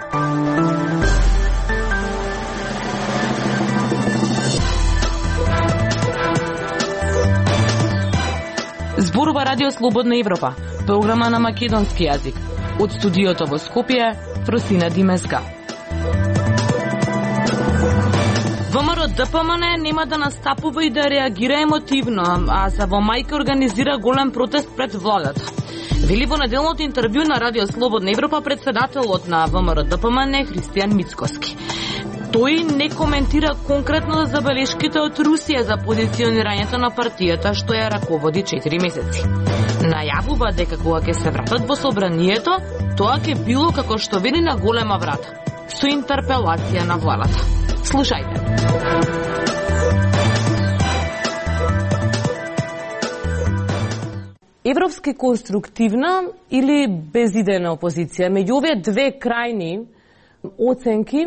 Зборува Радио Слободна Европа, програма на македонски јазик. Од студиото во Скопје, Фросина Димеска. ВМРО-ДПМН нема да настапува и да реагира емотивно, а за во мајка организира голем протест пред владата. Вели во неделното интервју на Радио Слободна Европа председателот на ВМРО-ДПМН Христијан Мицкоски. Тој не коментира конкретно забелешките од Русија за позиционирањето на партијата што ја раководи 4 месеци. Најавува дека кога ќе се вратат во собранието, тоа ќе било како што вели на голема врата, со интерпелација на владата. Слушајте. Европски конструктивна или безидејна опозиција? Меѓу овие две крајни оценки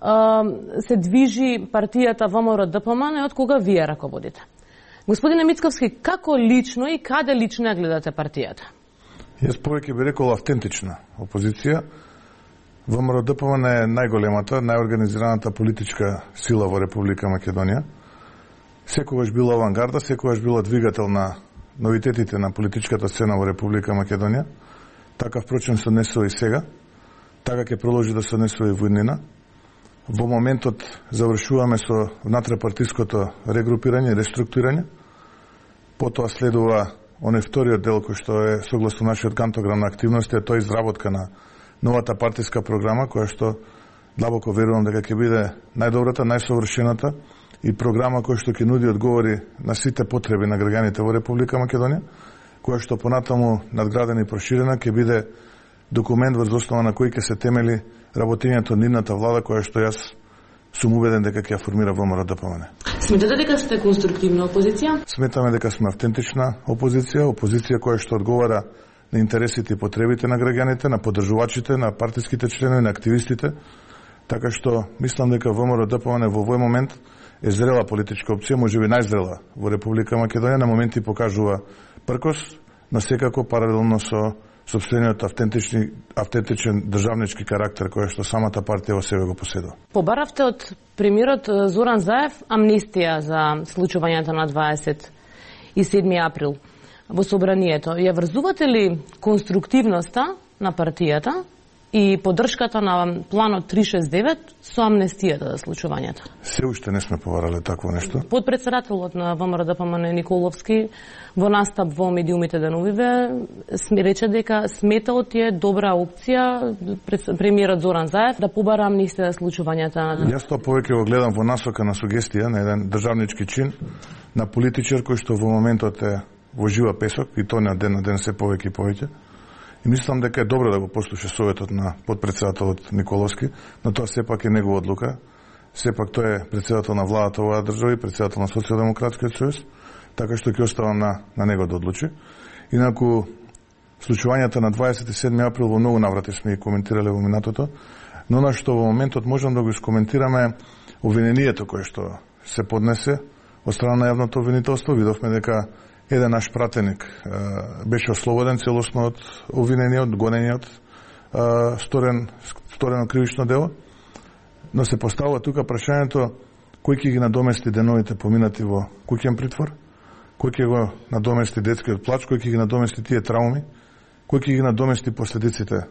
се движи партијата ВМРО-ДПМН од кога вие раководите. Господине Мицковски, како лично и каде лично ја гледате партијата? Јас повеќе би рекол автентична опозиција. ВМРО-ДПМН е најголемата, најорганизираната политичка сила во Република Македонија. Секогаш била авангарда, секогаш била двигател на новитетите на политичката сцена во Република Македонија. Така впрочем се однесува и сега. Така ќе продолжи да се однесува и во иднина. Во моментот завршуваме со внатрепартиското регрупирање и реструктурирање. Потоа следува оној вториот дел кој што е согласно нашиот кантограм на активности, тоа е изработка на новата партиска програма, која што длабоко верувам дека ќе биде најдобрата, најсовршената и програма која што ќе нуди одговори на сите потреби на граѓаните во Република Македонија, која што понатаму надградена и проширена ќе биде документ врз основа на кој ќе се темели работењето нивната влада, која што јас сум убеден дека ќе ја формира ВМРО-ДПМН. Сметате дека сте конструктивна опозиција? Сметаме дека сме автентична опозиција, опозиција која што одговара на интересите и потребите на граѓаните, на поддржувачите, на партиските членови, на активистите, така што мислам дека ВМРО-ДПМН во овој момент е зрела политичка опција, можеби најзрела во Република Македонија, на моменти покажува пркос, но секако паралелно со сопствениот автентичен државнички карактер кој што самата партија во себе го поседува. Побаравте од премиерот Зоран Заев амнистија за случувањето на 27 април во собранието. Ја врзувате ли конструктивноста на партијата и поддршката на планот 369 со амнестијата за случувањето? Се уште не сме побарале такво нешто. Подпредседателот на ВМРО-ДПМН Николовски во настап во медиумите деновиве рече дека сметал е добра опција премиерот Зоран Заев да побара амнистија за случувањата. Јас тоа повеќе го гледам во насока на сугестија на еден државнички чин на политичар кој што во моментот е во жива песок и тоа не од ден на ден се повеќе и повеќе. И мислам дека е добро да го послуша советот на подпредседателот Николовски, но тоа сепак е негова одлука. Сепак тој е председател на владата оваа држава и председател на Социјалдемократскиот сојуз, така што ќе оставам на него да одлучи. Инаку случувањата на 27 април во многу наврати сме и коментирале во минатото, но на што во моментот можам да го искоментираме обвинението кое што се поднесе од страна на јавното обвинителство. Видовме дека еден наш пратеник беше ослободен целосно од обвинениот, гонениот, сторено кривично дело, но се поставува тука прашањето кој ќе ги надомести деновите поминати во куќен притвор, кој ќе го надомести детскиот плач, кој ќе ги надомести тие трауми, кој ќе ги надомести последиците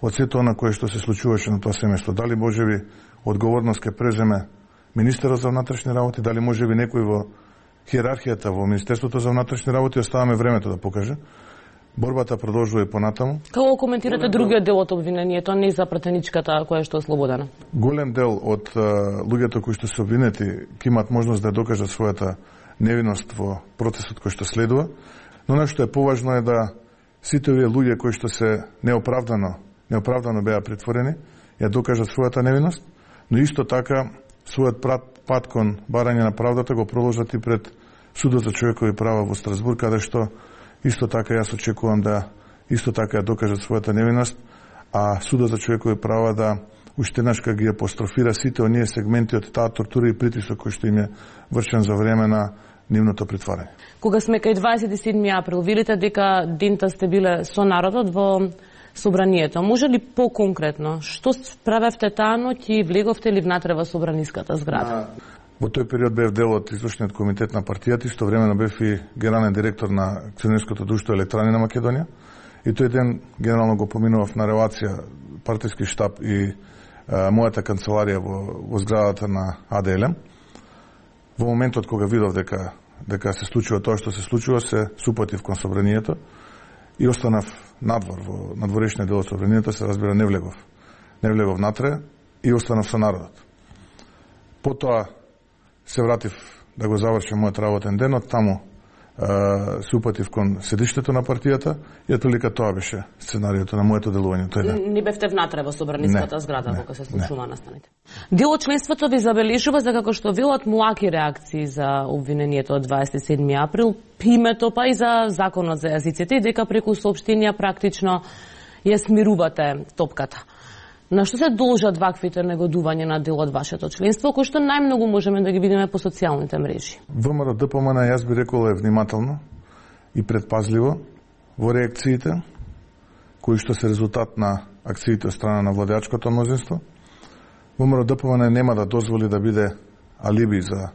од сето она кое што се случуваше на тоа семејство. Дали можеби одговорност ќе преземе министерот за внатрешни работи, дали можеби некој во хиерархијата во Министерството за внатрешни работи, оставаме времето да покаже. Борбата продолжува и понатаму. Како коментирате другиот дел од обвинението, не за пратеничката која што е ослободена? Голем дел од луѓето кои што се обвинети ќе имаат можност да ја докажат својата невиност во процесот кој што следува, но нешто е поважно е да сите овие луѓе кои што се неоправдано беа притворени, ја докажат својата невиност, но исто така својот пат кон барање на правдата го продолжат и пред Судот за човекови права во Страсбург, каде што исто така јас очекувам да исто така ја докажат својата невиност, а Судот за човекови права да уште еднаш ги апострофира сите оние сегменти од таа тортура и притисок кој што им е вршен за време на нивното притворање. Кога сме кај 27 април, велите дека дента сте биле со народот во собранието. Може ли поконкретно, што правевте таа ноќ и влеговте ли внатре во собраниската зграда? Во тој период бев дел од извршниот комитет на партијата, истовремено бев и генерален директор на акционерското друштво Електрани на Македонија. И тој ден генерално го поминував на релација партиски штаб и мојата канцеларија во зградата на АДЛМ. Во моментот кога видов дека се случува тоа што се случува, се супатив кон собранието и останав надвор, во надворешниот дел од собранието, се разбира не влегов натре и останав со народот. Потоа се вратив да го завршам мојот работен ден, од таму се упатив кон седиштето на партијата и отприлика тоа беше сценариото на моето делување тој ден. Не бевте внатре во собраниската зграда кога се случува настаните. Дел од членството ви забележува за како што велат млаки реакции за обвинението од 27 април, името па и за законот за јазиците и дека преку соопштенија практично ја смирувате топката. На што се должат ваквите негодувања на дел од вашето членство, кои што најмногу можеме да ги видиме по социјалните мрежи? ВМРО ДПМН, јас би рекол, е внимателно и предпазливо во реакциите, кои што се резултат на акциите од страна на владеачкото мнозинство. ВМРО ДПМН нема да дозволи да биде алиби за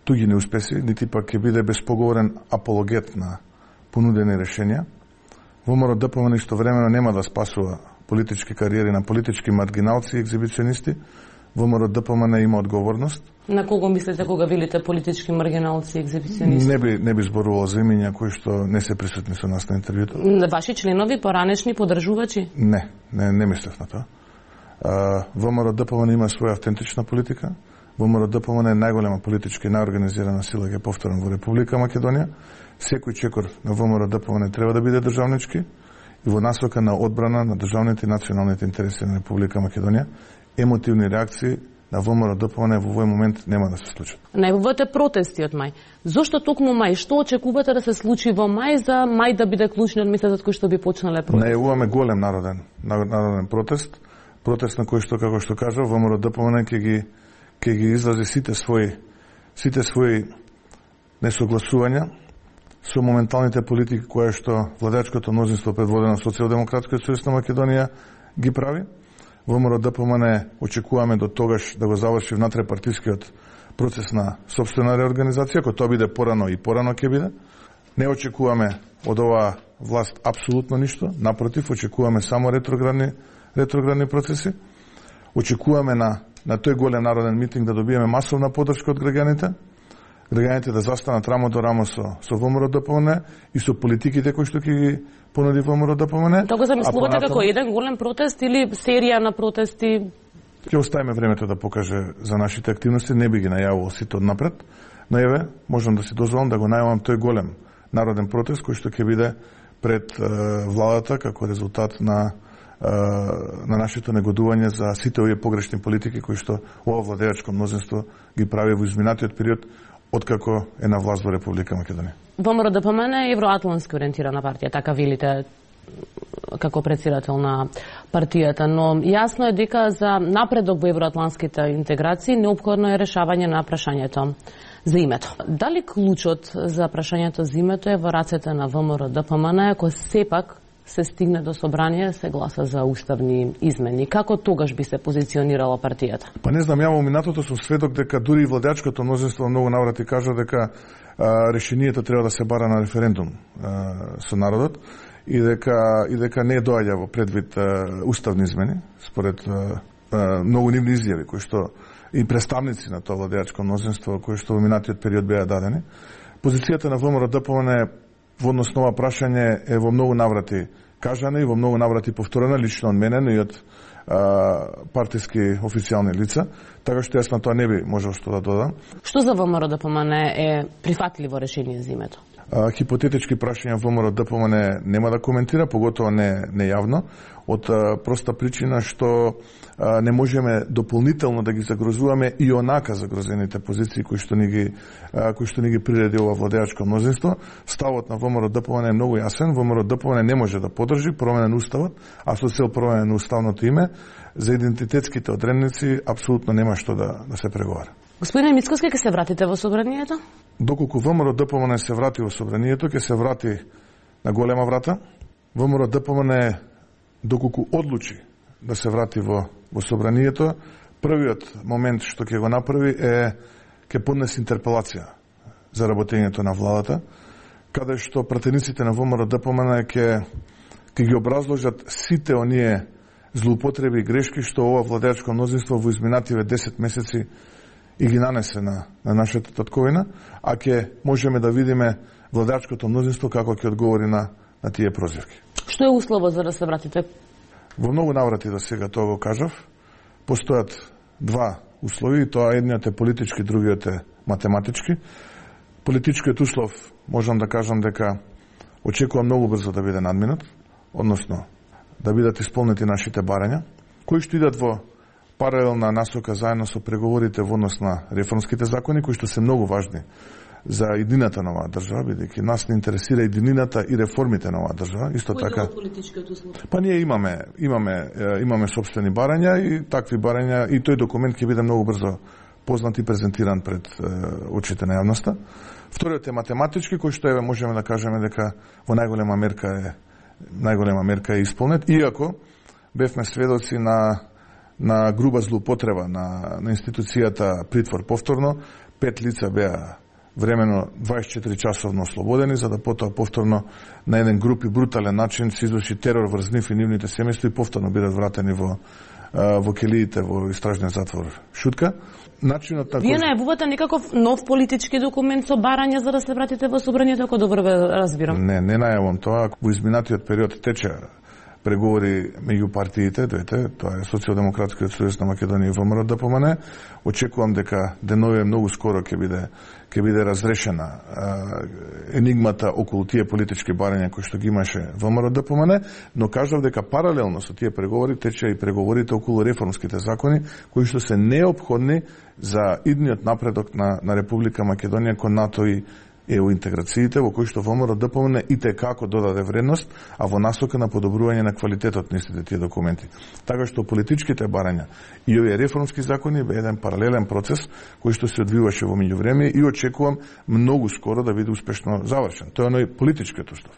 туги неуспеси, нити пак ќе биде безпоговорен апологет на понудени решенија. ВМРО ДПМН истовремено нема да спасува политички кариери на политички маргиналци и екзибиционисти. ВМРО ДПМН има одговорност. На кого мислите кога велите политички маргиналци и екзибиционисти? Не би зборувал за имиња кои што не се присутни со нас на интервјуто. Ваши членови, поранешни поддржувачи? Не мислев на тоа. ВМРО ДПМН има своја автентична политика. ВМРО ДПМН е најголема политичка и најорганизирана сила, ќе повторам, во Република Македонија. Секој чекор на ВМРО ДПМН треба да биде државнички и во насока на одбрана на државните и националните интереси на Република Македонија. Емотивни реакции на ВМРО ДПМН во овој момент нема да се случат. Најавувате протести од мај. Зошто токму мај? Што очекувате да се случи во мај за мај да биде клучниот месец од кој што би почнале протести? Најавуваме голем народен протест на кој што, како што кажа, ВМРО ДПМН ќе ги изрази сите своји несогласувања со моменталните политики кои што владеачкото мнозинство предводено Социјалдемократскиот сојуз на Македонија ги прави. ВМРО ДПМН очекуваме до тогаш да го заврши внатре партискиот процес на сопствена реорганизација, кој тоа биде порано и порано ќе биде. Не очекуваме од оваа власт апсолутно ништо, напротив, очекуваме само ретроградни процеси. Очекуваме на тој голем народен митинг да добиеме масовна поддршка од граѓаните да застанат рамо до рамо со ВМРО ДПМН и со политиките кои што ќе ги понуди ВМРО ДПМН. Тоа го замислувате како еден голем протест или серија на протести? Ќе оставиме времето да покаже за нашите активности, не би ги најавувал сите однапред, но еве, можам да си дозволам да го најавам тој голем народен протест кој што ќе биде пред владата како резултат на нашето негодување за сите овие погрешни политики кои што ова владеачко мнозинство ги прави во изминатиот период откако е на власт во Република Македонија. ВМРО ДПМН е евроатлански ориентирана партија, така велите како председател на партијата, но јасно е дека за напредок во евроатланските интеграции неопходно е решавање на прашањето за името. Дали клучот за прашањето за името е во рацете на ВМРО ДПМН, ако сепак се стигне до собрание, се гласа за уставни измени? Како тогаш би се позиционирала партијата? Па не знам, ја во минатото сум сведок дека дури и владеачкото мнозинство многу наврати кажа дека решението треба да се бара на референдум со народот и дека не доаѓа во предвид уставни измени, според многу нивни изјави кои што и представници на тоа владеачко мнозинство кои што во минатиот период беа дадени. Позицијата на ВМРО ДПМН во однос на ова прашање е во многу наврати кажана и во многу наврати повторена лично од мене, но и од партиски официјални лица, така што јас на тоа не би можел што да додам. Што за ВМРО ДПМН е прифатливо решение за името? Хипотетички прашања ВМРО ДПМН нема да коментира, поготово не јавно, од проста причина што не можеме дополнително да ги загрозуваме и онака загрозените позиции кои што ни ги приреди ова владеачко мнозинство. Ставот на ВМРО ДПМН е многу јасен. ВМРО ДПМН не може да поддржи промена на уставот, а со цел промена на уставното име за идентитетските одредници апсолутно нема што да се преговара. Господине Мицкоски, ќе се вратите во собранието? Доколку ВМРО ДПМН се врати во собранието, ќе се врати на голема врата. ВМРО ДПМН доколку одлучи да се врати во собранието, првиот момент што ќе го направи е ќе поднесе интерпелација за работењето на владата, каде што пратениците на ВМРО-ДПМН ќе ги образложат сите оние злоупотреби и грешки што ова владеачко мнозинство во изминативе 10 месеци и ги нанесе на нашата татковина, а ќе можеме да видиме владеачкото мнозинство како ќе одговори на тие прозивки. Што е условот за да се вратите? Во многу наврати до сега тоа го кажав. Постојат два услови, тоа едниот е политички, другиот е математички. Политичкиот услов, можам да кажам дека очекувам многу брзо да биде надминат, односно да бидат исполнети нашите барања, кои што идат во паралелна насока заедно со преговорите во однос на реформските закони, кои што се многу важни за едината на оваа држава, бидејќи нас не интересира единината и реформите на оваа држава. Исто така, политичкиот услов? Па ние имаме сопствени барања и такви барања, и тој документ ќе биде многу брзо познат и презентиран пред очите на јавноста. Вториот е математички, кој што можеме да кажеме дека во најголема мерка е исполнет, иако бевме сведоци на груба злоупотреба на институцијата притвор повторно. 5 лица беа времено 24 часовно ослободени, за да потоа повторно на еден груп и брутален начин се изврши терор врз нив и нивните семејства и повторно бидат вратени во келиите во истражниот затвор Шутка. Начинот на Вие најавувате некаков нов политички документ со барања за да се вратите во собранието, ако добро разбирам? Не најавувам тоа. Во изминатиот период тече преговори меѓу партиите, двете, тоа е Социјалдемократскиот сојуз на Македонија и ВМРО-ДПМН. Очекувам дека деновиве многу скоро ќе биде разрешена енигмата околу тие политички барања кои што ги имаше ВМРО-ДПМН, но кажав дека паралелно со тие преговори тече и преговорите околу реформските закони кои што се неопходни за идниот напредок на Република Македонија кон НАТО и ЕУ интеграциите, во кои што ВМРО-ДПМН и текако додаде вредност, а во насока на подобрување на квалитетот на истите тие документи. Така што политичките барања и овие реформски закони бе еден паралелен процес кој што се одвиваше во меѓувреме и очекувам многу скоро да биде успешно завршен. Тоа е оној политичкиот услов.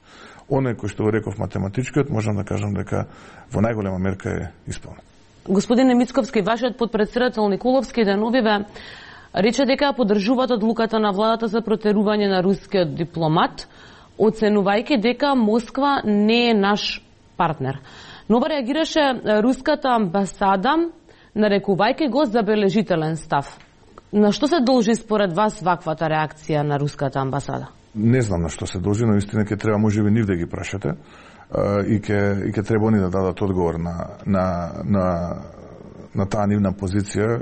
Оној кој што го реков математичкиот, можам да кажам дека во најголема мерка е исполнет. Господине Мицковски, вашиот подпредседател Николовски деновиве рече дека поддржуваат одлуката на владата за протерување на рускиот дипломат, оценувајќи дека Москва не е наш партнер. Но реагираше руската амбасада, нарекувајќи го забележителен став. На што се должи според вас ваквата реакција на руската амбасада? Не знам на што се должи, но истина ќе треба можеби нив да ги прашате и ќе треба они да дадат одговор на таа нивна позиција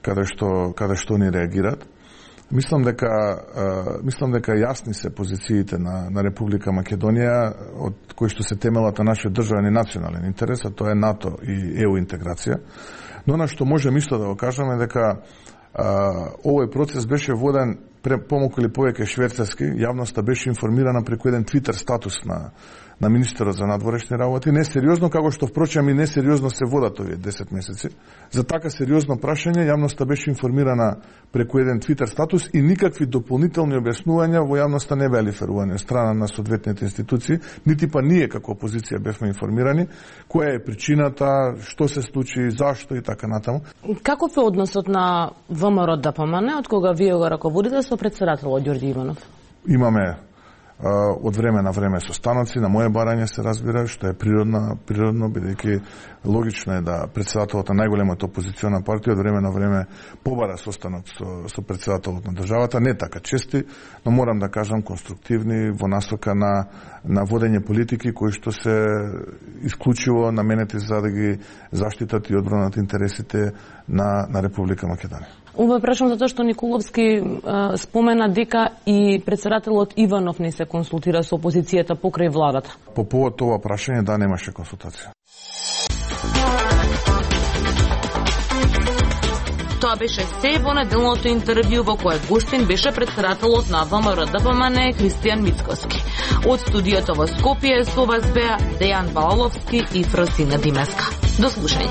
каде што ни реагираат. Мислам дека јасни се позициите на Република Македонија од кои што се темелат на нашиот државен и национален интерес, а тоа е НАТО и ЕУ интеграција. Но на што можем исто да го кажеме дека овој процес беше воден помалку или повеќе шверцарски, јавноста беше информирана преку еден твитер статус на министерот за надворешни работи, несериозно, како што впрочем и несериозно се водат овие 10 месеци. За така сериозно прашање јавноста беше информирана преку еден твитер статус и никакви дополнителни објаснувања во јавноста не беа лиферувани од страна на соодветните институции, нити па ние како опозиција бевме информирани која е причината, што се случи, зашто и така натаму. Каков е односот на ВМРО-ДПМН од кога вие го раководите со претседателот Ѓорѓе Иванов? Имаме од време на време состаноци, на моје барање се разбира, што е природно, бидејќи логично е да претседателот на најголемата опозициона партија од време на време побара состанок со претседателот на државата, не така чести, но морам да кажам конструктивни во насока на водење политики кои што се исклучиво наменети за да ги заштитат и одбранат интересите на Република Македонија. Ова прашам затоа што Николовски спомена дека и претседателот Иванов не се консултира со опозицијата покрај владата. По повод ова прашање, да, немаше консултација. Тоа беше се во неделното интервју во кое гостин беше претседателот на ВМРО-ДПМН Христијан Мицковски. Од студиото во Скопје со вас беа Дејан Балаловски и Фросина Димеска. До слушање.